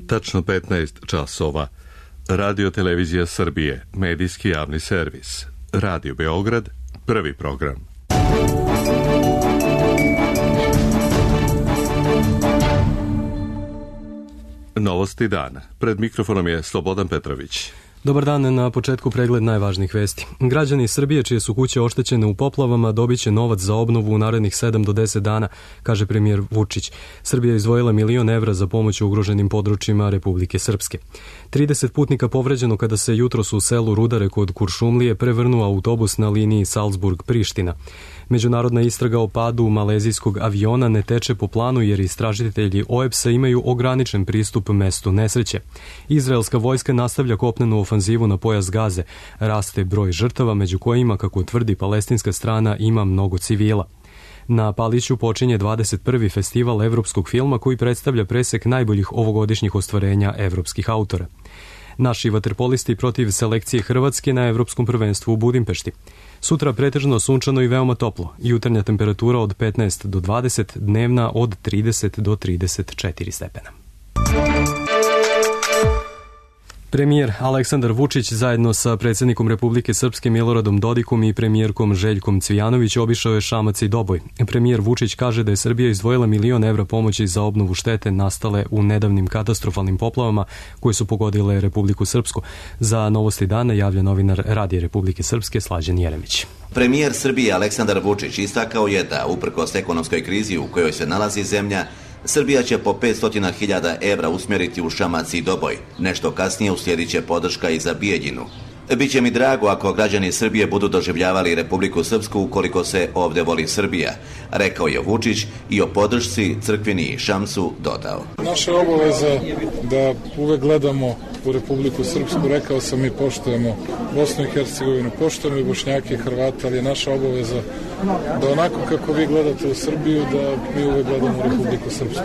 Tačno 15 časova. Radio Televizija Srbije, medijski javni servis. Radio Beograd, prvi program. Novosti dana. Pred mikrofonom je Slobodan Petrović. Dobar dan, na početku pregled najvažnijih vesti. Građani Srbije čije su kuće oštećene u poplavama dobit će novac za obnovu u narednih 7 do 10 dana, kaže premijer Vučić. Srbija je izdvojila 1 milion evra za pomoć ugroženim područjima Republike Srpske. 30 putnika povređeno kada se jutros u selu Rudare kod Kuršumlije prevrnuo autobus na liniji Salzburg-Priština. Međunarodna istraga o padu malezijskog aviona ne teče po planu jer istražitelji OEPS-a imaju ograničen pristup mestu nesreće. Izraelska vojska nastavlja kopnenu ofanzivu na pojas Gaze. Raste broj žrtava, među kojima, kako tvrdi palestinska strana, ima mnogo civila. Na Paliću počinje 21. festival evropskog filma koji predstavlja presek najboljih ovogodišnjih ostvarenja evropskih autora. Naši vaterpolisti protiv selekcije Hrvatske na Evropskom prvenstvu u Budimpešti. Sutra pretežno sunčano i veoma toplo. Jutarnja temperatura od 15 do 20, dnevna od 30 do 34 stepena. Premijer Aleksandar Vučić zajedno sa predsjednikom Republike Srpske Miloradom Dodikom i premijerkom Željkom Cvijanović obišao je Šamac i Doboj. Premijer Vučić kaže da je Srbija izdvojila 1 milion evra pomoći za obnovu štete nastale u nedavnim katastrofalnim poplavama koje su pogodile Republiku Srpsku. Za Novosti dana javlja novinar Radija Republike Srpske Slađan Jeremić. Premijer Srbije Aleksandar Vučić istakao je da, uprkos ekonomskoj krizi u kojoj se nalazi zemlja, Srbija će po 500.000 evra usmjeriti u Šamac i Doboj. Nešto kasnije uslijedit će podrška i za Bijeljinu. Biće mi drago ako građani Srbije budu doživljavali Republiku Srpsku ukoliko se ovdje voli Srbija, rekao je Vučić i o podršci Crkvini i Šamcu dodao. Naša obaveza da uvek gledamo u Republiku Srpsku, rekao sam, i poštujemo Bosnu i Hercegovinu, poštujemo i Bošnjake i Hrvate, ali je naša obaveza da onako kako vi gledate u Srbiju, da mi uvek gledamo u Republiku Srpsku.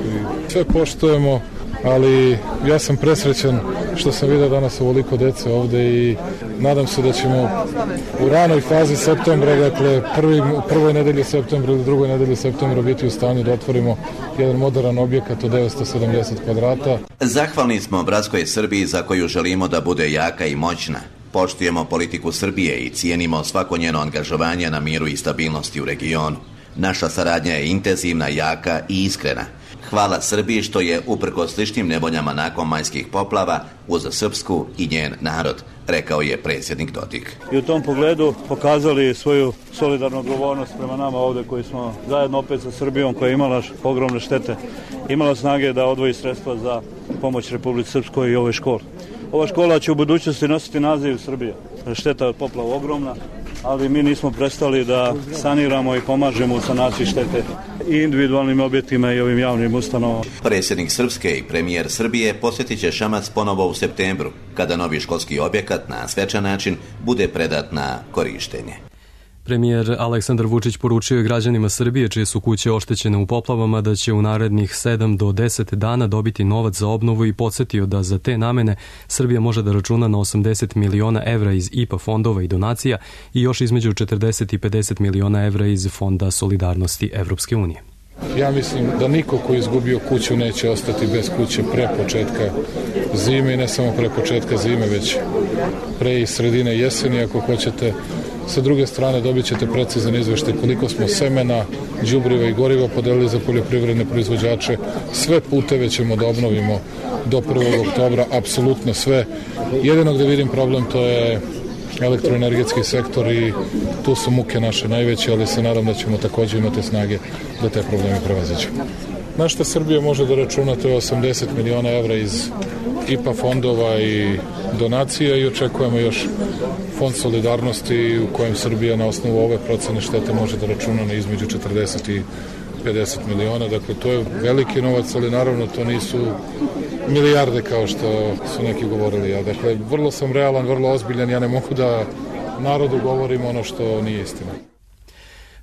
Sve poštujemo, ali ja sam presrećan što sam vidio danas ovoliko dece ovde i nadam se da ćemo u ranoj fazi septembra, dakle prvoj nedelji septembra ili drugoj nedelji septembra biti u stanju da otvorimo jedan moderan objekat od 970 kvadrata. Zahvalni smo bratskoj Srbiji za koju želimo da bude jaka i moćna. Poštujemo politiku Srbije i cijenimo svako njeno angažovanje na miru i stabilnosti u regionu. Naša saradnja je intenzivna, jaka i iskrena. Hvala Srbiji što je, uprkos sličnim nevoljama nakon majskih poplava, uz Srpsku i njen narod, rekao je predsjednik Dodik. I u tom pogledu pokazali svoju solidarnu odgovornost prema nama ovdje koji smo zajedno opet sa Srbijom, koja je imala ogromne štete, imala snage da odvoji sredstva za pomoć Republici Srpskoj i ovoj školi. Ova škola će u budućnosti nositi naziv Srbija. Šteta od poplava ogromna, ali mi nismo prestali da saniramo i pomažemo u sanaciji štete i individualnim objektima i ovim javnim ustanovama. Predsjednik Srpske i premijer Srbije posjetit će Šamac ponovo u septembru, kada novi školski objekat na svečan način bude predat na korištenje. Premijer Aleksandar Vučić poručio je građanima Srbije čije su kuće oštećene u poplavama da će u narednih 7 do 10 dana dobiti novac za obnovu i podsjetio da za te namene Srbija može da računa na 80 miliona evra iz IPA fondova i donacija i još između 40 i 50 miliona evra iz Fonda solidarnosti Evropske unije. Ja mislim da niko ko je izgubio kuću neće ostati bez kuće pre početka zime i ne samo pre početka zime, već pre i sredine jeseni ako hoćete. Sa druge strane dobit ćete precizan izveštaj koliko smo semena, đubriva i goriva podelili za poljoprivredne proizvođače. Sve puteve ćemo da obnovimo do 1. oktobra, apsolutno sve. Jedino gde vidim problem to je elektroenergetski sektor i tu su muke naše najveće, ali se nadam da ćemo također imati snage da te probleme prevaziđemo. Na što Srbija može da računa, to je 80 miliona evra iz IPA fondova i donacija i očekujemo još fond solidarnosti u kojem Srbija na osnovu ove procene štete može da računa na između 40 i 50 miliona. Dakle, to je veliki novac, ali naravno to nisu milijarde kao što su neki govorili. Ja, dakle, vrlo sam realan, vrlo ozbiljan, ja ne mogu da narodu govorim ono što nije istina.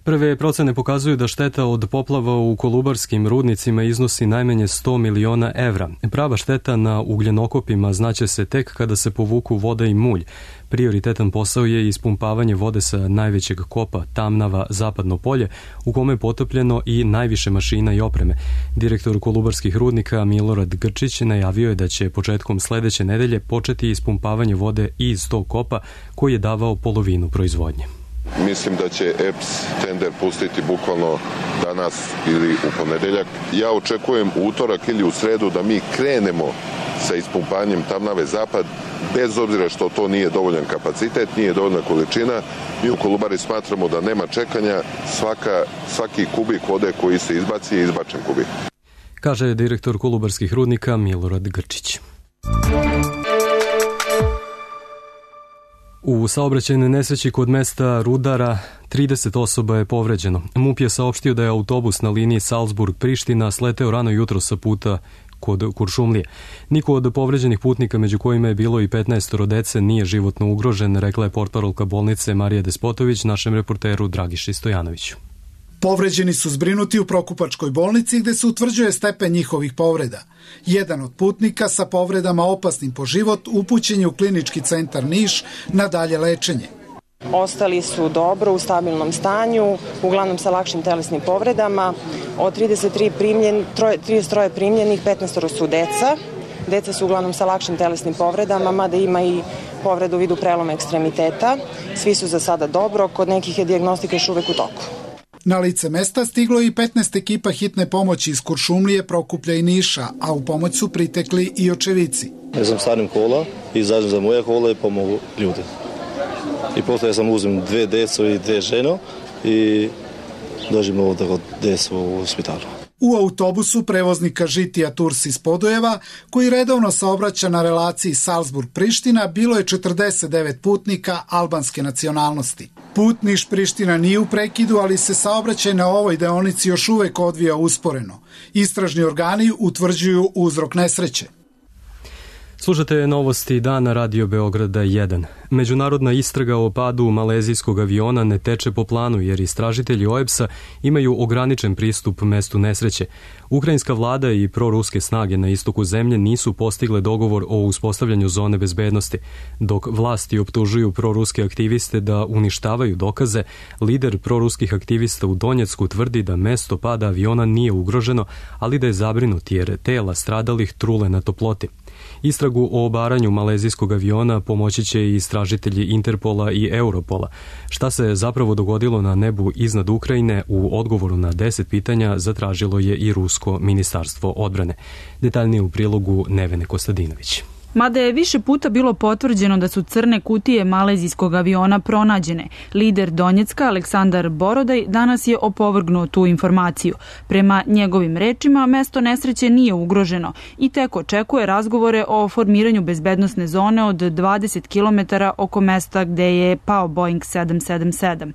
Prve procene pokazuju da šteta od poplava u kolubarskim rudnicima iznosi najmanje 100 miliona evra. Prava šteta na ugljenokopima znaće se tek kada se povuku voda i mulj. Prioritetan posao je ispumpavanje vode sa najvećeg kopa Tamnava Zapadno polje, u kome je potopljeno i najviše mašina i opreme. Direktor kolubarskih rudnika Milorad Grčić najavio je da će početkom sledeće nedelje početi ispumpavanje vode iz tog kopa koji je davao polovinu proizvodnje. Mislim da će EPS tender pustiti bukvalno danas ili u ponedeljak. Ja očekujem u utorak ili u sredu da mi krenemo sa ispumpanjem Tamnave Zapad, bez obzira što to nije dovoljan kapacitet, nije dovoljna količina. Mi u Kolubari smatramo da nema čekanja, svaki kubik vode koji se izbaci je izbačen kubik. Kaže direktor kolubarskih rudnika Milorad Grčić. U saobraćajnoj nesreći kod mesta Rudara 30 osoba je povređeno. MUP je saopštio da je autobus na liniji Salzburg-Priština sleteo rano jutro sa puta kod Kuršumlije. Niko od povređenih putnika, među kojima je bilo i 15 dece, nije životno ugrožen, rekla je portparolka bolnice Marija Despotović našem reporteru Dragiši Stojanoviću. Povređeni su zbrinuti u Prokupačkoj bolnici gde se utvrđuje stepen njihovih povreda. Jedan od putnika sa povredama opasnim po život upućen je u klinički centar Niš na dalje lečenje. Ostali su dobro, u stabilnom stanju, uglavnom sa lakšim telesnim povredama. Od 33 primljenih, 15 su deca. Deca su uglavnom sa lakšim telesnim povredama, mada ima i povreda u vidu preloma ekstremiteta. Svi su za sada dobro, kod nekih je dijagnostika još uvek u toku. Na lice mesta stiglo je i 15 ekipa hitne pomoći iz Kuršumlije, Prokuplja i Niša, a u pomoć su pritekli i očevici. Ja sam starim kola i izađem za moje kola i pomogu ljudi. I posle ja sam uzem 2 deco i 2 ženo i dođem ovdje kod deco u hospitalu. U autobusu prevoznika Žitija Turs iz Podujeva, koji redovno saobraća na relaciji Salzburg-Priština, bilo je 49 putnika albanske nacionalnosti. Put Niš-Priština nije u prekidu, ali se saobraćaj na ovoj deonici još uvek odvija usporeno. Istražni organi utvrđuju uzrok nesreće. Slušate novosti dana Radio Beograda 1. Međunarodna istraga o padu malezijskog aviona ne teče po planu jer istražitelji OEBS-a imaju ograničen pristup mestu nesreće. Ukrajinska vlada i proruske snage na istoku zemlje nisu postigle dogovor o uspostavljanju zone bezbednosti. Dok vlasti optužuju proruske aktiviste da uništavaju dokaze, lider proruskih aktivista u Donjecku tvrdi da mesto pada aviona nije ugroženo, ali da je zabrinut jer tela stradalih trule na toploti. Istragu o obaranju malezijskog aviona pomoći će i istražitelji Interpola i Europola. Šta se zapravo dogodilo na nebu iznad Ukrajine, u odgovoru na 10 pitanja zatražilo je i Rusko ministarstvo odbrane. Detaljnije u prilogu Nevene Kostadinović. Mada je više puta bilo potvrđeno da su crne kutije malezijskog aviona pronađene, lider Donjecka Aleksandar Borodaj danas je opovrgnuo tu informaciju. Prema njegovim rečima, mesto nesreće nije ugroženo i tek očekuje razgovore o formiranju bezbednosne zone od 20 km oko mesta gde je pao Boeing 777.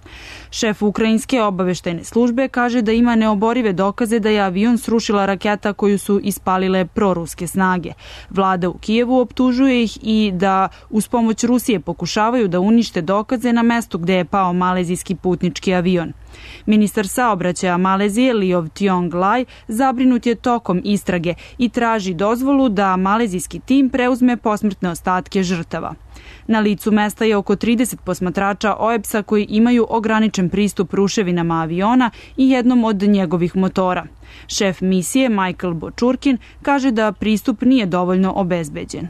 Šef ukrajinske obaveštajne službe kaže da ima neoborive dokaze da je avion srušila raketa koju su ispalile proruske snage. Vlada u Kijevu optužuje ih i da uz pomoć Rusije pokušavaju da unište dokaze na mestu gde je pao malezijski putnički avion. Ministar saobraćaja Malezije Liov Tiong Lai zabrinut je tokom istrage i traži dozvolu da malezijski tim preuzme posmrtne ostatke žrtava. Na licu mesta je oko 30 posmatrača OEBS-a koji imaju ograničen pristup ruševinama aviona i jednom od njegovih motora. Šef misije Michael Bočurkin kaže da pristup nije dovoljno obezbeđen.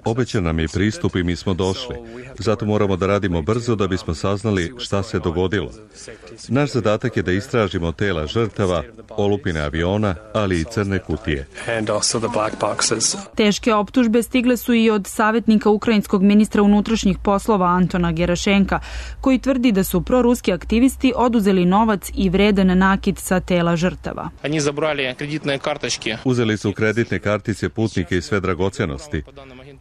Obećan nam je pristup i mi smo došli. Zato moramo da radimo brzo da bismo saznali šta se dogodilo. Naš zadatak je da istražimo tela žrtava, olupine aviona, ali i crne kutije. Teške optužbe stigle su i od savjetnika ukrajinskog ministra unutrašnjih poslova Antona Gerašenka, koji tvrdi da su proruski aktivisti oduzeli novac i vredan nakit sa tela žrtava. Uzeli su kreditne kartice putnike i sve dragocenosti.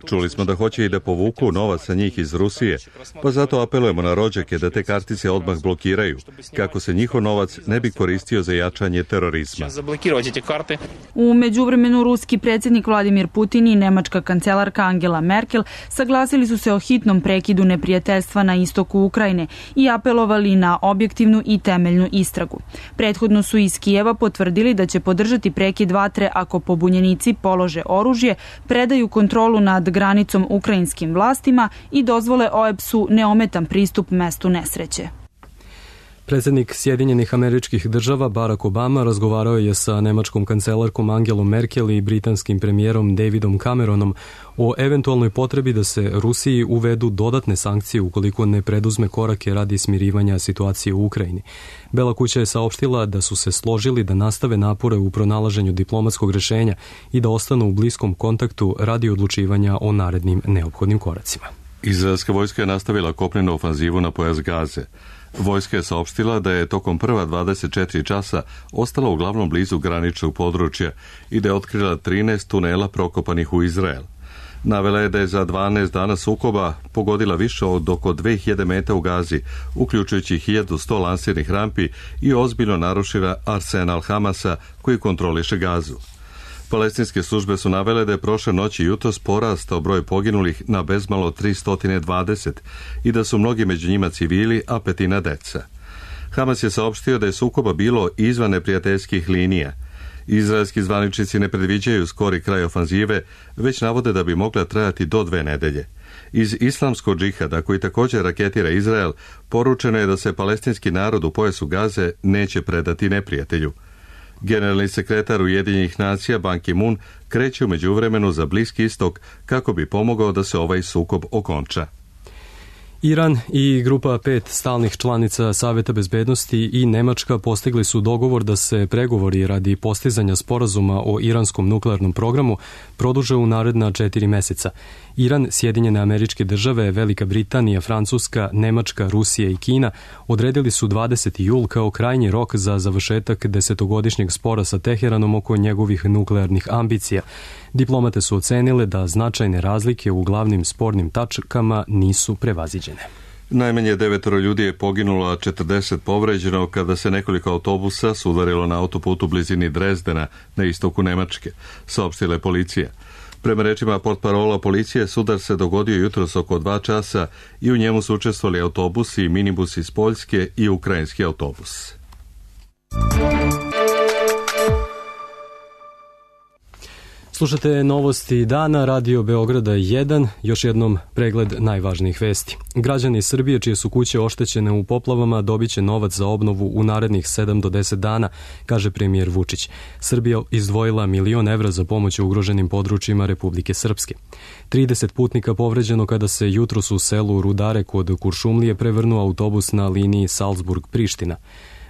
Čuli smo da hoće i da povuku novac sa njih iz Rusije, pa zato apelujemo na rođake da te kartice odmah blokiraju, kako se njihov novac ne bi koristio za jačanje terorizma. U međuvremenu ruski predsjednik Vladimir Putin i nemačka kancelarka Angela Merkel saglasili su se o hitnom prekidu neprijateljstva na istoku Ukrajine i apelovali na objektivnu i temeljnu istragu. Prethodno su iz Kijeva potvrdili da će podržati prekid vatre ako pobunjenici polože oružje, predaju kontrolu nad granicom ukrajinskim vlastima i dozvole OEBS-u neometan pristup mestu nesreće. Predsjednik Sjedinjenih Američkih Država Barack Obama razgovarao je sa nemačkom kancelarkom Angelom Merkel i britanskim premijerom Davidom Cameronom o eventualnoj potrebi da se Rusiji uvedu dodatne sankcije ukoliko ne preduzme korake radi smirivanja situacije u Ukrajini. Bela kuća je saopštila da su se složili da nastave napore u pronalaženju diplomatskog rešenja i da ostanu u bliskom kontaktu radi odlučivanja o narednim neophodnim koracima. Izraelska vojska je nastavila kopnenu ofanzivu na pojas Gaze. Vojska je saopštila da je tokom prva 24 časa ostala uglavnom blizu graničnog područja i da je otkrila 13 tunela prokopanih u Izrael. Navela je da je za 12 dana sukoba pogodila više od oko 2000 meta u Gazi, uključujući 1100 lansirnih rampi i ozbiljno narušila arsenal Hamasa koji kontroliše Gazu. Palestinske službe su navele da je prošle noći i jutros porastao broj poginulih na bezmalo 320 i da su mnogi među njima civili, a petina deca. Hamas je saopštio da je sukoba bilo izvan neprijateljskih linija. Izraelski zvaničnici ne predviđaju skori kraj ofanzive, već navode da bi mogla trajati do 2 nedelje. Iz islamskog džihada, koji također raketira Izrael, poručeno je da se palestinski narod u pojasu Gaze neće predati neprijatelju. Generalni sekretar Ujedinjenih nacija Ban Ki-moon kreće u međuvremenu za Bliski istok kako bi pomogao da se ovaj sukob okonča. Iran i grupa 5 stalnih članica Saveta bezbednosti i Nemačka postigli su dogovor da se pregovori radi postizanja sporazuma o iranskom nuklearnom programu produže u naredna 4 meseca. Iran, Sjedinjene Američke Države, Velika Britanija, Francuska, Nemačka, Rusija i Kina odredili su 20. jul kao krajnji rok za završetak 10-godišnjeg spora sa Teheranom oko njegovih nuklearnih ambicija. Diplomate su ocenile da značajne razlike u glavnim spornim tačkama nisu prevaziđene. Najmanje 9 ljudi je poginulo, a 40 povređeno kada se nekoliko autobusa sudarilo na autoputu u blizini Drezdena na istoku Nemačke, saopštila je policija. Prema rečima portparola policije, sudar se dogodio jutros oko 2 časa i u njemu su učestvovali autobusi i minibusi iz Poljske i ukrajinski autobus. Slušate novosti dana, Radio Beograda 1, još jednom pregled najvažnijih vesti. Građani Srbije čije su kuće oštećene u poplavama dobit će novac za obnovu u narednih 7 do 10 dana, kaže premijer Vučić. Srbija izdvojila 1 milion evra za pomoć ugroženim područjima Republike Srpske. 30 putnika povređeno kada se jutros u selu Rudare kod Kuršumlije prevrnuo autobus na liniji Salzburg-Priština.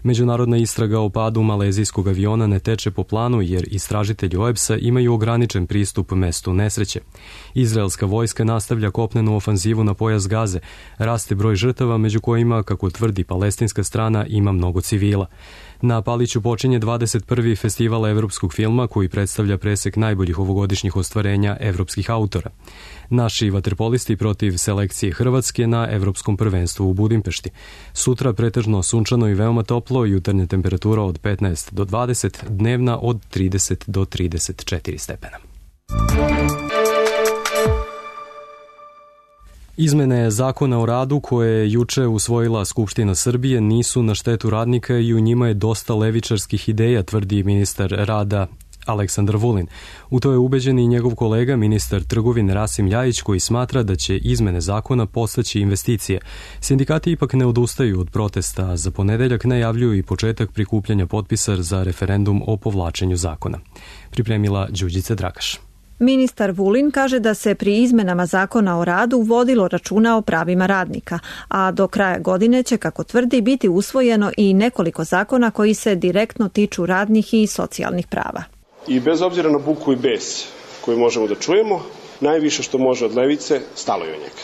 Međunarodna istraga o padu malezijskog aviona ne teče po planu jer istražitelji OEBS-a imaju ograničen pristup mestu nesreće. Izraelska vojska nastavlja kopnenu ofanzivu na pojas Gaze. Raste broj žrtava, među kojima, kako tvrdi palestinska strana, ima mnogo civila. Na Paliću počinje 21. festival evropskog filma koji predstavlja presek najboljih ovogodišnjih ostvarenja evropskih autora. Naši vaterpolisti protiv selekcije Hrvatske na evropskom prvenstvu u Budimpešti. Sutra pretežno sunčano i veoma toplo, jutarnja temperatura od 15 do 20, dnevna od 30 do 34 stepena. Izmene zakona o radu koje je juče usvojila Skupština Srbije nisu na štetu radnika i u njima je dosta levičarskih ideja, tvrdi ministar rada Aleksandar Vulin. U to je ubeđen i njegov kolega, ministar trgovine Rasim Ljajić, koji smatra da će izmene zakona podstaći investicije. Sindikati ipak ne odustaju od protesta, a za ponedeljak najavljuju i početak prikupljanja potpisa za referendum o povlačenju zakona. Pripremila Đurđica Dragaš. Ministar Vulin kaže da se pri izmenama zakona o radu vodilo računa o pravima radnika, a do kraja godine će, kako tvrdi, biti usvojeno i nekoliko zakona koji se direktno tiču radnih i socijalnih prava. I bez obzira na buku i bes koju možemo da čujemo, najviše što može od levice, stalo je od njega.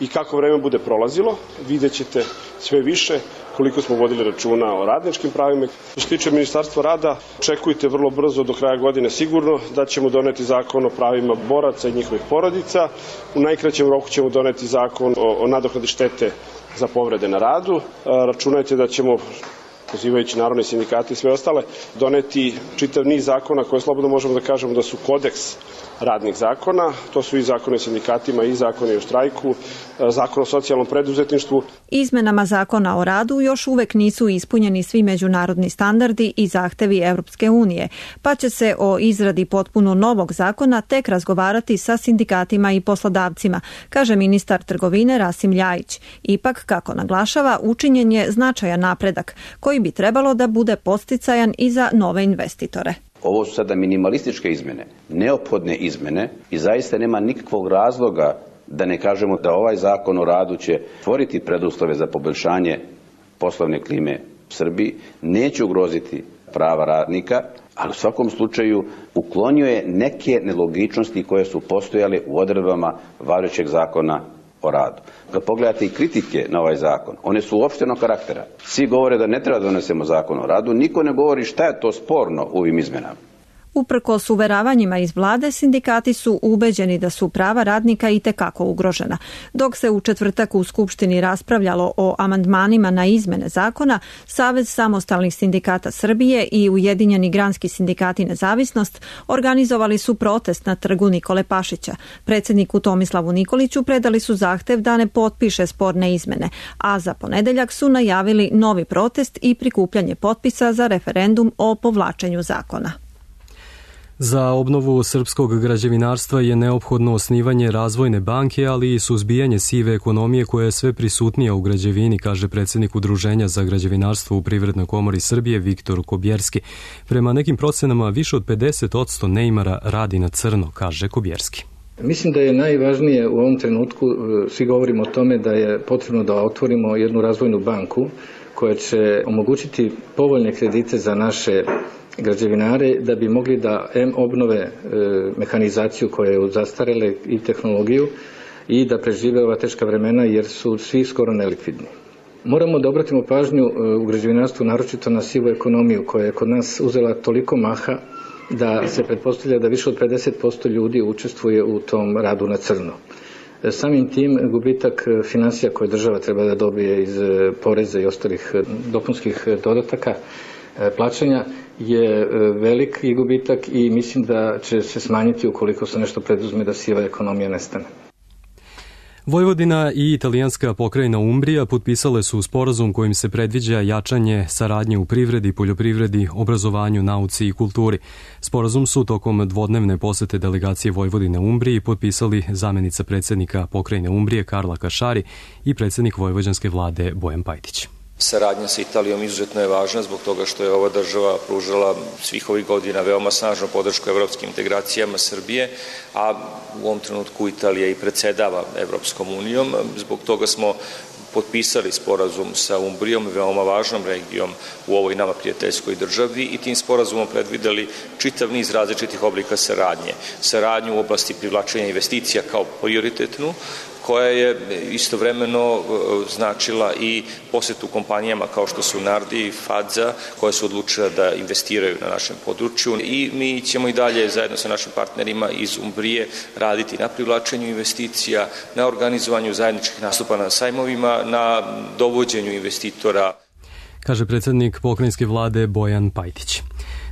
i kako vreme bude prolazilo, vidjet ćete sve više koliko smo vodili računa o radničkim pravima. Što se tiče Ministarstva rada, očekujte vrlo brzo do kraja godine sigurno da ćemo doneti zakon o pravima boraca i njihovih porodica. U najkraćem roku ćemo doneti zakon o nadoknadi štete za povrede na radu. Računajte da ćemo, pozivajući narodne sindikate i sve ostale, doneti čitav niz zakona koje slobodno možemo da kažemo da su kodeks radnih zakona. To su i zakoni o sindikatima i zakoni o štrajku, zakon o socijalnom preduzetništvu. Izmenama zakona o radu još uvek nisu ispunjeni svi međunarodni standardi i zahtevi Evropske unije, pa će se o izradi potpuno novog zakona tek razgovarati sa sindikatima i poslodavcima, kaže ministar trgovine Rasim Ljajić. Ipak, kako naglašava, učinjen je značajan napredak koji bi trebalo da bude podsticajan i za nove investitore. Ovo su sada minimalističke izmene, neophodne izmene i zaista nema nikakvog razloga da ne kažemo da ovaj zakon o radu će stvoriti preduslove za poboljšanje poslovne klime u Srbiji, neće ugroziti prava radnika, ali u svakom slučaju uklonio je neke nelogičnosti koje su postojale u odredbama važećeg zakona o radu. Kad pogledate i kritike na ovaj zakon, one su uopštenog karaktera. Svi govore da ne treba da donesemo zakon o radu, niko ne govori šta je to sporno u ovim izmenama. Uprkos uveravanjima iz vlade, sindikati su ubeđeni da su prava radnika itekako ugrožena. Dok se u četvrtak u Skupštini raspravljalo o amandmanima na izmene zakona, Savez samostalnih sindikata Srbije i Ujedinjeni granski sindikati Nezavisnost organizovali su protest na trgu Nikole Pašića. Predsjedniku Tomislavu Nikoliću predali su zahtev da ne potpiše sporne izmene, a za ponedeljak su najavili novi protest i prikupljanje potpisa za referendum o povlačenju zakona. Za obnovu srpskog građevinarstva je neophodno osnivanje razvojne banke, ali i suzbijanje sive ekonomije koja je sve prisutnija u građevini, kaže predsjednik Udruženja za građevinarstvo u Privrednoj komori Srbije Viktor Kobjerski. Prema nekim procenama više od 50% neimara radi na crno, kaže Kobjerski. Mislim da je najvažnije u ovom trenutku, svi govorimo o tome da je potrebno da otvorimo jednu razvojnu banku koja će omogućiti povoljne kredite za naše građevinare da bi mogli da obnove mehanizaciju koja je zastarele i tehnologiju i da prežive ova teška vremena jer su svi skoro nelikvidni. Moramo da obratimo pažnju u građevinarstvu naročito na sivu ekonomiju koja je kod nas uzela toliko maha da se pretpostavlja da više od 50% ljudi učestvuje u tom radu na crno. Samim tim gubitak finansija koje država treba da dobije iz poreza i ostalih dopunskih dodataka plaćanja je veliki gubitak i mislim da će se smanjiti ukoliko se nešto preduzme da siva ekonomija nestane. Vojvodina i italijanska pokrajina Umbrija potpisale su sporazum kojim se predviđa jačanje saradnje u privredi, poljoprivredi, obrazovanju, nauci i kulturi. Sporazum su tokom dvodnevne posete delegacije Vojvodine Umbriji potpisali zamjenica predsjednika pokrajine Umbrije Karla Kašari i predsjednik vojvođanske vlade Bojan Pajtić. Saradnja sa Italijom izuzetno je važna zbog toga što je ova država pružala svih ovih godina veoma snažnu podršku evropskim integracijama Srbije, a u ovom trenutku Italija i predsedava Evropskom unijom. Zbog toga smo potpisali sporazum sa Umbrijom, veoma važnom regijom u ovoj nama prijateljskoj državi i tim sporazumom predvideli čitav niz različitih oblika saradnje. Saradnju u oblasti privlačenja investicija kao prioritetnu, koja je istovremeno značila i posjetu kompanijama kao što su Nardi i Fadza, koje su odlučile da investiraju na našem području i mi ćemo i dalje zajedno sa našim partnerima iz Umbrije raditi na privlačenju investicija, na organizovanju zajedničkih nastupa na sajmovima, na dovođenju investitora. Kaže predsjednik pokrajinske vlade Bojan Pajtić.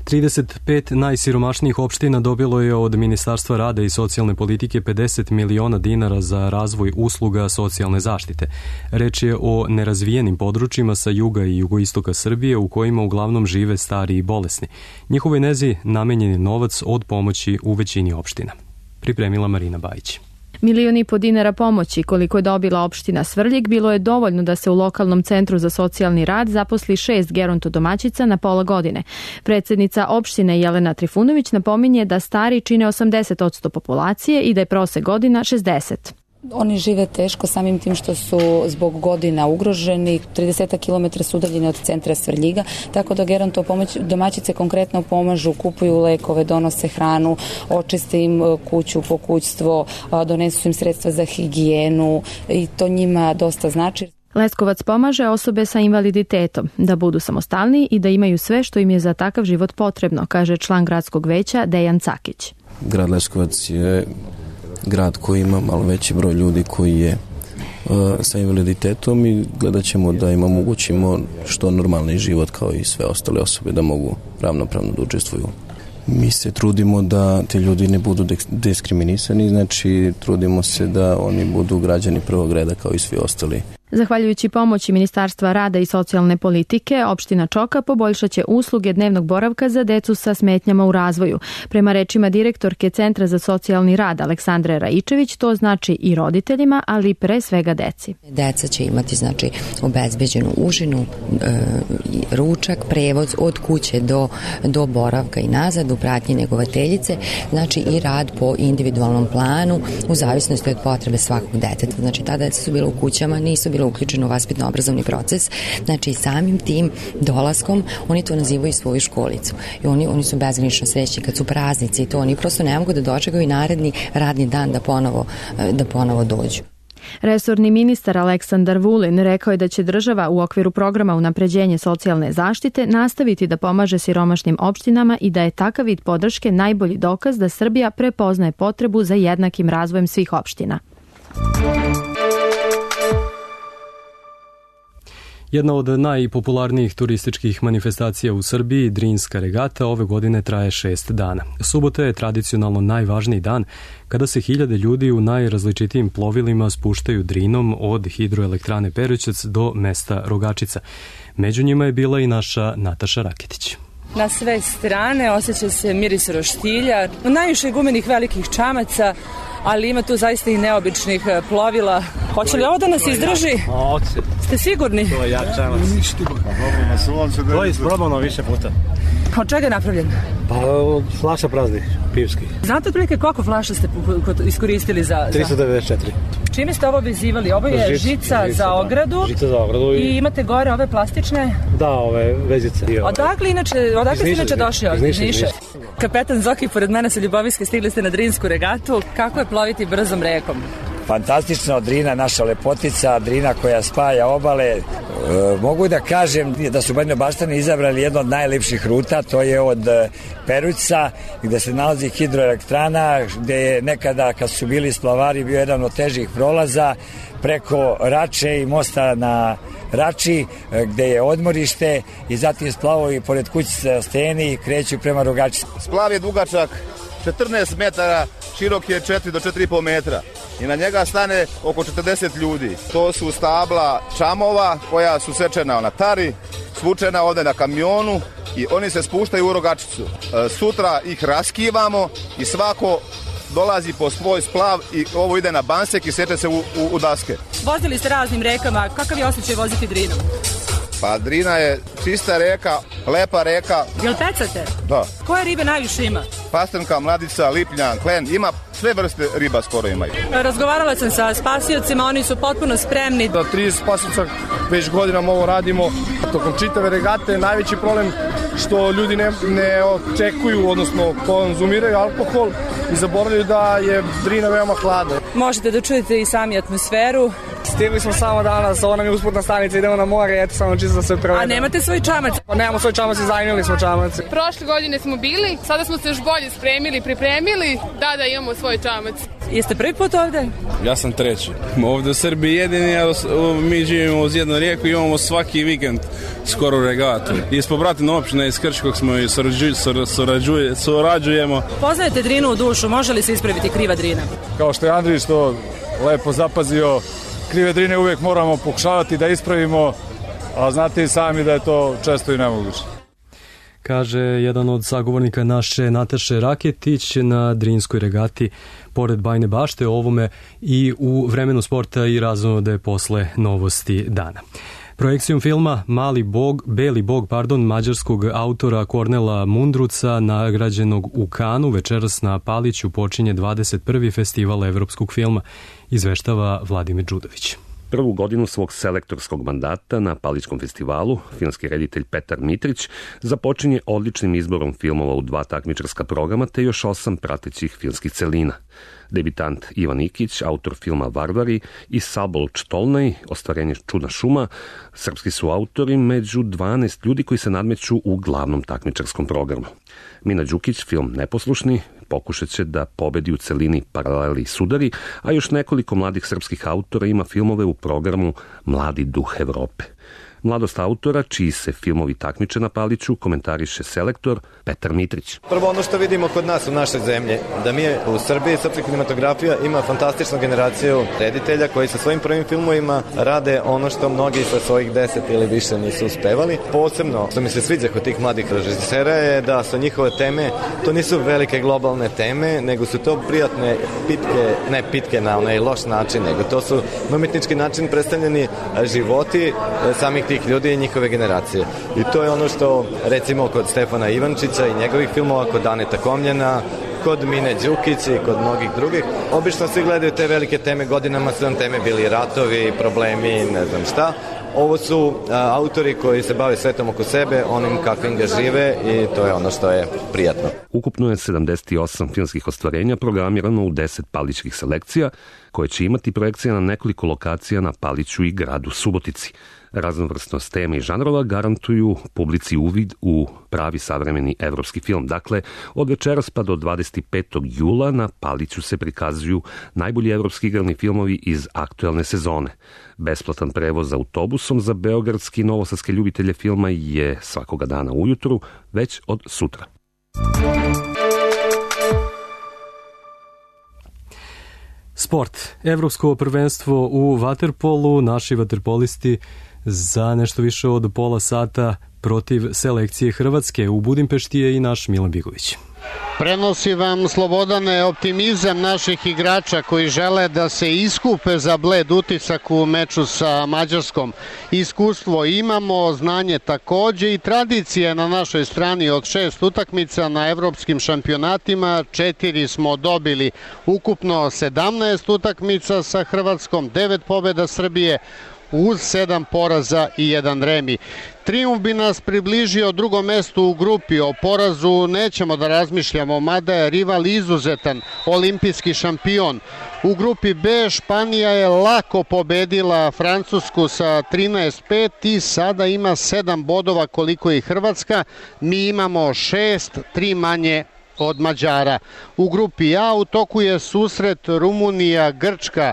35 najsiromašnijih opština dobilo je od Ministarstva rada i socijalne politike 50 miliona dinara za razvoj usluga socijalne zaštite. Reč je o nerazvijenim područjima sa juga i jugoistoka Srbije u kojima uglavnom žive stari i bolesni. Njihovoj nezi namenjen je novac od pomoći u većini opština. Pripremila Marina Bajić. 1,5 miliona dinara pomoći koliko je dobila opština Svrljig bilo je dovoljno da se u lokalnom centru za socijalni rad zaposli 6 gerontodomaćica na pola godine. Predsjednica opštine Jelena Trifunović napominje da stari čine 80% populacije i da je prosek godina 60. Oni žive teško samim tim što su zbog godina ugroženi, 30 km su udaljeni od centra Svrljiga, tako da gerontove domaćice konkretno pomažu, kupuju lekove, donose hranu, očiste im kuću, pokućstvo, donesu im sredstva za higijenu i to njima dosta znači. Leskovac pomaže osobe sa invaliditetom da budu samostalni i da imaju sve što im je za takav život potrebno, kaže član gradskog veća Dejan Cakić. Grad Leskovac je grad koji ima malo veći broj ljudi koji je sa invaliditetom i gledat ćemo da im omogućimo što normalni život kao i sve ostale osobe da mogu ravnopravno da učestvuju. Mi se trudimo da te ljudi ne budu diskriminisani, znači trudimo se da oni budu građani prvog reda kao i svi ostali. Zahvaljujući pomoći Ministarstva rada i socijalne politike, opština Čoka poboljšaće usluge dnevnog boravka za decu sa smetnjama u razvoju. Prema rečima direktorke Centra za socijalni rad Aleksandre Raičević, to znači i roditeljima, ali pre svega deci. Deca će imati znači obezbeđenu užinu, ručak, prevoz od kuće do boravka i nazad u pratnji negovateljice, znači i rad po individualnom planu u zavisnosti od potrebe svakog deteta. Znači ta deca su bila u kućama, nisu bilo uključeno u vaspitno-obrazovni proces, znači samim tim dolaskom oni to nazivaju svoju školicu i oni su bezgranično srećni kad su praznici i to oni prosto ne mogu da dočekaju i naredni radni dan da ponovo dođu. Resorni ministar Aleksandar Vulin rekao je da će država u okviru programa unapređenje socijalne zaštite nastaviti da pomaže siromašnim opštinama i da je takav vid podrške najbolji dokaz da Srbija prepoznaje potrebu za jednakim razvojem svih opština. Jedna od najpopularnijih turističkih manifestacija u Srbiji, Drinska regata, ove godine traje 6 dana. Subota je tradicionalno najvažniji dan kada se hiljade ljudi u najrazličitijim plovilima spuštaju Drinom od hidroelektrane Perućac do mesta Rogačica. Među njima je bila i naša Nataša Raketić. Na sve strane osjeća se miris roštilja, najviše gumenih velikih čamaca, ali ima tu zaista i neobičnih plovila. Hoće li ovo da nas izdrži? Hoće. Ste sigurni? To je jak čamac. To je isprobano više puta. Od čega je napravljen? Pa flaša praznih, pivskih. Znate otprilike koliko flaša ste iskoristili za... 394. Čime ste ovo vezivali? Ovo je žica za ogradu. Žica za ogradu. I imate gore ove plastične? Da, ove vezice. Odakle ste inače došli ovdje? Iz Niša. Kapetan Zoki, pored mene sa Ljubovijske, stigli ste na Drinsku regatu. Kako je ploviti brzom rekom? Fantastično, Drina, naša lepotica, Drina koja spaja obale. Mogu da kažem da su Banjobaštani izabrali jednu od najlepših ruta, to je od Perućca, gde se nalazi hidroelektrana, gde je nekada, kad su bili splavari, bio jedan od težih prolaza, preko Rače i mosta na Rači, gde je odmorište i zatim splavovi pored kućice Steni i kreću prema Rogačici. Splav je dugačak 14 metara, širok je 4 do 4,5 metra i na njega stane oko 40 ljudi. To su stabla čamova koja su sečena na tari, svučena ovde na kamionu i oni se spuštaju u Rogačicu. Sutra ih raskivamo i svako dolazi po svoj splav i ovo ide na bansek i seče se u daske. Vozili ste raznim rekama, kakav je osjećaj voziti Drinom? Pa Drina je čista reka, lepa reka. Jel pecate? Da. Koje ribe najviše ima? Pastrenka, mladica, lipljan, klen, ima sve vrste riba skoro imaju. Razgovarala sam sa spasiocima, oni su potpuno spremni. Da 30 spasioca već godinama ovo radimo. Tokom čitave regate najveći problem što ljudi ne očekuju, odnosno konzumiraju alkohol i zaboravljaju da je Drina veoma hladna. Možete da čujete i sami atmosferu. Stigli smo samo danas, ovo nam je usputna stanica, idemo na more, eto samo čisto da se provedemo. A nemate svoj čamac? Pa nemamo svoj čamac i zajmili smo čamac. Prošle godine smo bili, sada smo se još bolje spremili, pripremili, da imamo svoj čamac. Jeste prvi put ovde? Ja sam treći. Ovde u Srbiji jedini, mi živimo uz jednu rijeku i imamo svaki vikend skoro regatu. Ispod Bratina općina iz Krškog smo i surađujemo. Poznajete Drinu u dušu, može li se ispraviti kriva Drina? Kao što je Andrić to lepo zapazio, krive Drine uvijek moramo pokušavati da ispravimo, a znate i sami da je to često i nemoguće. Kaže jedan od sagovornika naše Nataše Raketić na Drinskoj regati pored Bajne Bašte, ovome i u vremenu sporta i razonode posle novosti dana. Projekcijom filma Beli bog, mađarskog autora Kornela Mundruca, nagrađenog u Kanu, večeras na Paliću počinje 21. festival evropskog filma, izveštava Vladimir Đudović. Prvu godinu svog selektorskog mandata na Palićkom festivalu filmski reditelj Petar Mitrić započinje odličnim izborom filmova u 2 takmičarska programa te još 8 pratećih filmskih celina. Debitant Ivan Ikić, autor filma Varvari, i Sabol Čtolnej, ostvarenje Čudna šuma, srpski su autori među 12 ljudi koji se nadmeću u glavnom takmičarskom programu. Mina Đukić, film Neposlušni, pokušat će da pobedi u celini Paraleli i sudari, a još nekoliko mladih srpskih autora ima filmove u programu Mladi duh Evrope. Mladost autora, čiji se filmovi takmiče na Paliću, komentariše selektor Petar Mitrić. Prvo ono što vidimo kod nas u našoj zemlji, da mi u Srbiji srpska kinematografija ima fantastičnu generaciju reditelja koji sa svojim prvim filmovima rade ono što mnogi sa svojih 10 ili više nisu uspevali. Posebno što mi se sviđa kod tih mladih režisera je da su njihove teme, to nisu velike globalne teme, nego su to prijatne pitke, ne pitke na onaj loš način, nego to su na umetnički način predstavljeni životi samih tih ljudi i njihove generacije. I to je ono što, recimo, kod Stefana Ivančića i njegovih filmova, kod Aneta Komljena, kod Mine Đukić i kod mnogih drugih. Obično svi gledaju te velike teme, godinama su nam teme bili ratovi, problemi, ne znam šta. Ovo su autori koji se bave svetom oko sebe, onim kakvim ga žive, i to je ono što je prijatno. Ukupno je 78 filmskih ostvarenja programirano u 10 palićkih selekcija, koje će imati projekcije na nekoliko lokacija na Paliću i gradu Subotici. Raznovrsnost teme i žanrova garantuju publici uvid u pravi savremeni evropski film. Dakle, od večeras pa do 25. jula na Paliću se prikazuju najbolji evropski igrani filmovi iz aktuelne sezone. Besplatan prevoz autobusom za beogradski i novosadske ljubitelje filma je svakoga dana ujutru, već od sutra. Sport. Evropsko prvenstvo u vaterpolu. Naši vaterpolisti za nešto više od pola sata protiv selekcije Hrvatske. U Budimpešti je i naš Milan Bigović. Prenosi vam, Slobodane, optimizam naših igrača koji žele da se iskupe za bled utisak u meču sa Mađarskom. Iskustvo imamo, znanje takođe i tradicije na našoj strani. Od 6 utakmica na evropskim šampionatima 4 smo dobili. Ukupno 17 utakmica sa Hrvatskom, 9 pobjeda Srbije, uz 7 poraza i 1 remi. Trijumf bi nas približio drugom mestu u grupi. O porazu nećemo da razmišljamo, mada je rival izuzetan, olimpijski šampion. U grupi B Španija je lako pobedila Francusku sa 13-5 i sada ima 7 bodova koliko i Hrvatska. Mi imamo 6, 3 manje od Mađara. U grupi A u toku je susret Rumunija-Grčka.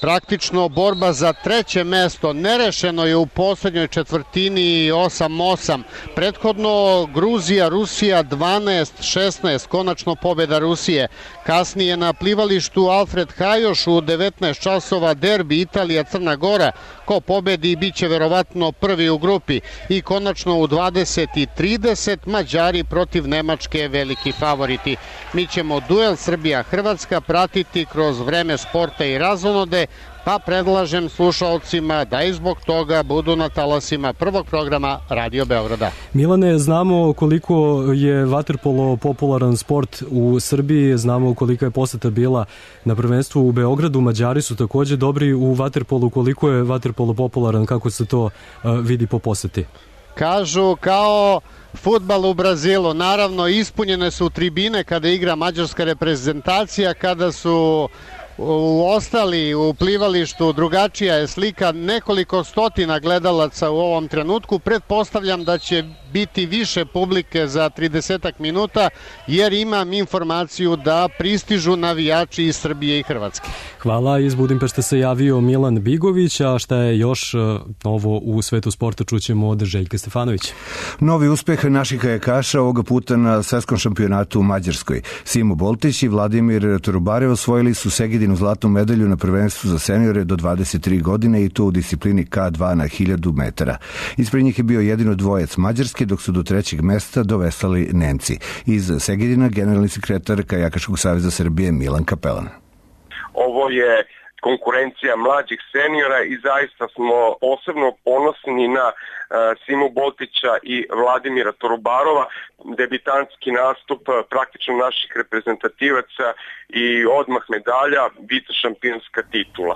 Praktično borba za 3. mesto, nerešeno je u poslednjoj četvrtini 8-8. Prethodno Gruzija, Rusija 12-16, konačno pobjeda Rusije. Kasnije na plivalištu Alfred Hajoš u 19 časova derbi Italija-Crna Gora. Ko pobedi bit će verovatno prvi u grupi. I konačno u 20:30 Mađari protiv Nemačke, veliki favoriti. Mi ćemo duel Srbija-Hrvatska pratiti kroz vreme sporta i razonode, pa predlažem slušalcima da i zbog toga budu na talasima prvog programa Radio Beograda. Milane, znamo koliko je vaterpolo popularan sport u Srbiji, znamo koliko je poseta bila na prvenstvu u Beogradu, Mađari su takođe dobri u vaterpolu. Koliko je vaterpolo popularan, kako se to vidi po poseti? Kažu kao fudbal u Brazilu, naravno ispunjene su tribine kada igra mađarska reprezentacija, kada su ostali u plivalištu drugačija je slika, nekoliko stotina gledalaca u ovom trenutku. Pretpostavljam da će biti više publike za 30 minuta, jer imam informaciju da pristižu navijači iz Srbije i Hrvatske. Hvala, iz Budimpešte se javio Milan Bigović, a šta je još novo u svetu sporta čućemo od Željka Stefanovića. Novi uspeh naših kajakaša ovoga puta na svetskom šampionatu u Mađarskoj. Simo Boltić i Vladimir Turubare osvojili su Segedinu zlatnu medalju na prvenstvu za seniore do 23 godine i to u disciplini K2 na 1000 metara. Ispred njih je bio jedino dvojec Mađarske, dok su do 3. mesta dovesali Nemci. Iz Segedina generalni sekretar Kajakaškog saveza Srbije Milan Kapelan. Ovo je konkurencija mlađih seniora i zaista smo posebno ponosni na Simu Boltića i Vladimira Torubarova, debitanski nastup praktično naših reprezentativaca i odmah medalja, vicešampionska titula.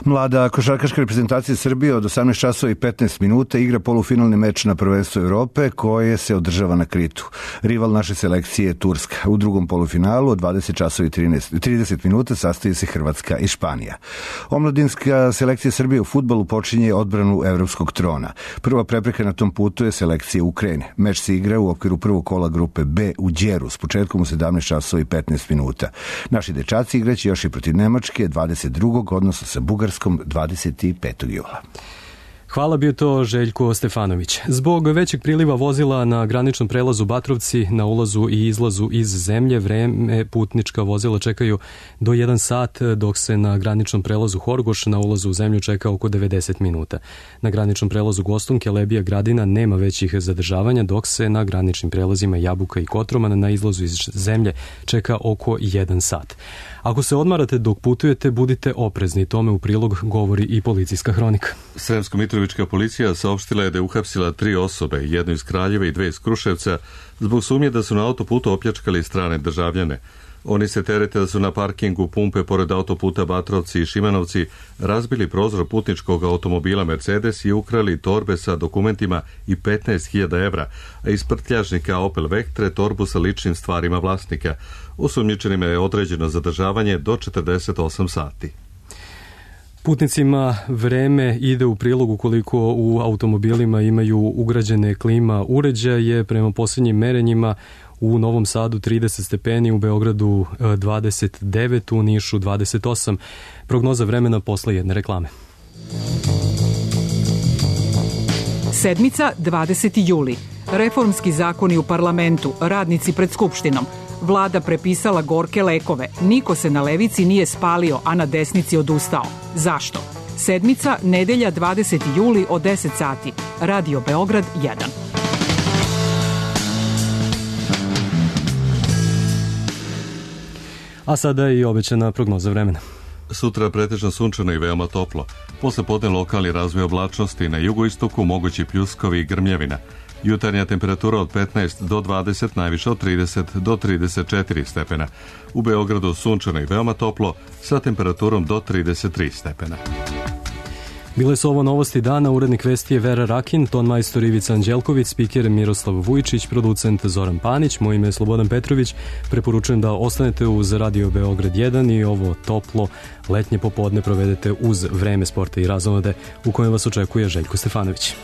Mlada košarkaška reprezentacija Srbije od 18 časova i 15 minuta igra polufinalni meč na prvenstvu Evrope koje se održava na Kritu. Rival naše selekcije je Turska. U drugom polufinalu od 20 časova i 30 minuta sastoji se Hrvatska i Španija. Omladinska selekcija Srbije u fudbalu počinje odbranu evropskog trona. Prva prepreka na tom putu je selekcija Ukrajine. Meč se igra u okviru prvog kola grupe B u Đeru s početkom u 17 časova i 15 minuta. Naši dečaci igraće još i protiv Nemačke 22. odnosno sa Bugarskom 25. jula. Hvala, bio to Željko Stefanović. Zbog većeg priliva vozila na graničnom prelazu Batrovci na ulazu i izlazu iz zemlje, vreme putnička vozila čekaju do 1 sat, dok se na graničnom prelazu Horgoš na ulazu u zemlju čeka oko 90 minuta. Na graničnom prelazu Gostunke, Lebija, Gradina nema većih zadržavanja, dok se na graničnim prelazima Jabuka i Kotroman na izlazu iz zemlje čeka oko 1 sat. Ako se odmarate dok putujete, budite oprezni. Tome u prilog govori i policijska hronika. Sremsko-Mitrovička policija saopštila je da je uhapsila 3 osobe, jednu iz Kraljeva i 2 iz Kruševca, zbog sumnje da su na autoputu opljačkali strane državljane. Oni se terete da su na parkingu pumpe pored autoputa Batrovci i Šimanovci razbili prozor putničkog automobila Mercedes i ukrali torbe sa dokumentima i 15.000 evra, a iz prtljažnika Opel Vectre torbu sa ličnim stvarima vlasnika. Osumnjičenima je određeno zadržavanje do 48 sati. Putnicima vreme ide u prilog ukoliko u automobilima imaju ugrađene klima uređaje. Prema posljednjim merenjima u Novom Sadu 30 stepeni, u Beogradu 29, u Nišu 28. Prognoza vremena posle jedne reklame. Sedmica, 20. juli. Reformski zakoni u parlamentu, radnici pred Skupštinom. Vlada prepisala gorke lekove. Niko se na levici nije spalio, a na desnici odustao. Zašto? Sedmica, nedelja, 20. juli od 10 sati. Radio Beograd 1. A sada je i obećana prognoza vremena. Sutra pretežno sunčano i veoma toplo. Posle podne lokalni razvoj oblačnosti, na jugoistoku mogući pljuskovi i grmljevina. Jutarnja temperatura od 15 do 20, najviše od 30 do 34 stepena. U Beogradu sunčano i veoma toplo sa temperaturom do 33 stepena. Bile su ovo novosti dana, urednik vesti je Vera Rakin, ton majstor Ivica Anđelković, spiker Miroslav Vujčić, producent Zoran Panić, moje ime je Slobodan Petrović. Preporučujem da ostanete uz Radio Beograd 1 i ovo toplo letnje popodne provedete uz Vreme sporta i razonode u kojem vas očekuje Željko Stefanović.